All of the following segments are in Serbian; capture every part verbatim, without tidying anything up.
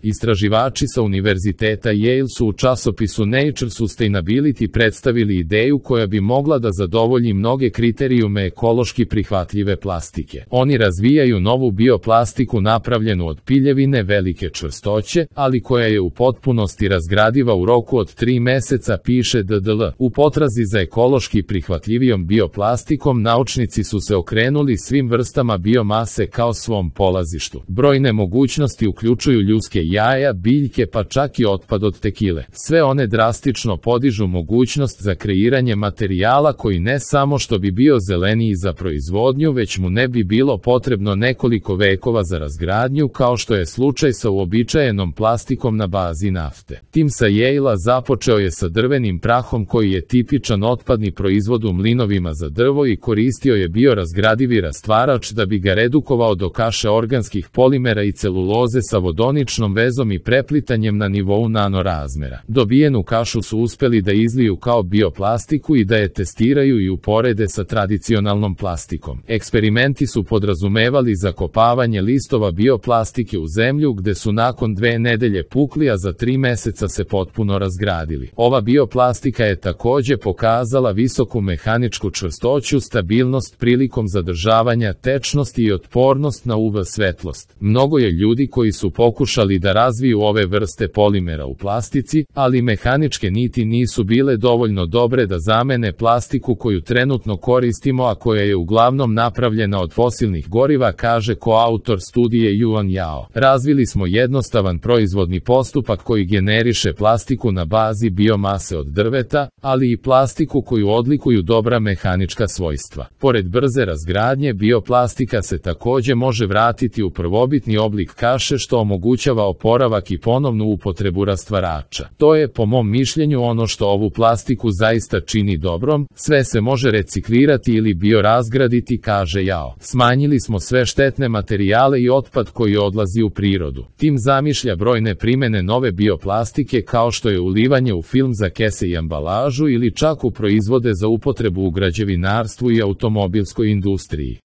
Istraživači sa Univerziteta Yale su u časopisu Nature Sustainability predstavili ideju koja bi mogla da zadovolji mnoge kriterijume ekološki prihvatljive plastike. Oni razvijaju novu bioplastiku napravljenu od piljevine velike čvrstoće, ali koja je u potpunosti razgradiva u roku od tri meseca, piše D D L. U potrazi za ekološki prihvatljivijom bioplastikom naučnici su se okrenuli svim vrstama biomase kao svom polazištu. Brojne mogućnosti uključuju ljudske jaja, biljke pa čak i otpad od tekile. Sve one drastično podižu mogućnost za kreiranje materijala koji ne samo što bi bio zeleniji za proizvodnju, već mu ne bi bilo potrebno nekoliko vekova za razgradnju, kao što je slučaj sa uobičajenom plastikom na bazi nafte. Tim sa Yale-a započeo je sa drvenim prahom koji je tipičan otpadni proizvod u mlinovima za drvo i koristio je biorazgradivi rastvarač da bi ga redukovao do kaše organskih polimera i celuloze sa vodoničnom vezom i preplitanjem na nivou nanorazmera. Dobijenu kašu su uspeli da izliju kao bioplastiku i da je testiraju i uporede sa tradicionalnom plastikom. Eksperimenti su podrazumevali zakopavanje listova bioplastike u zemlju gde su nakon dve nedelje pukli, a za tri meseca se potpuno razgradili. Ova bioplastika je takođe pokazala visoku mehaničku čvrstoću, stabilnost prilikom zadržavanja tečnosti i otpornost na U V svetlost. Mnogo je ljudi koji su pokušali da razviju ove vrste polimera u plastici, ali mehaničke niti nisu bile dovoljno dobre da zamene plastiku koju trenutno koristimo, a koja je uglavnom napravljena od fosilnih goriva, kaže koautor studije Yuan Yao. Razvili smo jednostavan proizvodni postupak koji generiše plastiku na bazi biomase od drveta, ali i plastiku koju odlikuju dobra mehanička svojstva. Pored brze razgradnje, bioplastika se takođe može vratiti u prvobitni oblik kaše, što omogućava oporavak i ponovnu upotrebu rastvarača. To je, po mom mišljenju, ono što ovu plastiku zaista čini dobrom. Sve se može reciklirati ili biorazgraditi, kaže Yao. Smanjili smo sve štetne materijale i otpad koji odlazi u prirodu. Tim zamišlja brojne primene nove bioplastike, kao što je ulivanje u film za kese i ambalažu ili čak u proizvode za upotrebu u građevinarstvu i automobilskoj industriji.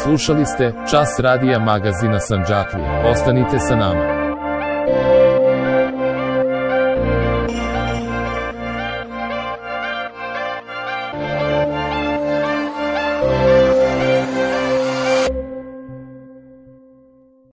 Slušali ste Čas radija magazina Sandžaklija. Ostanite sa nama.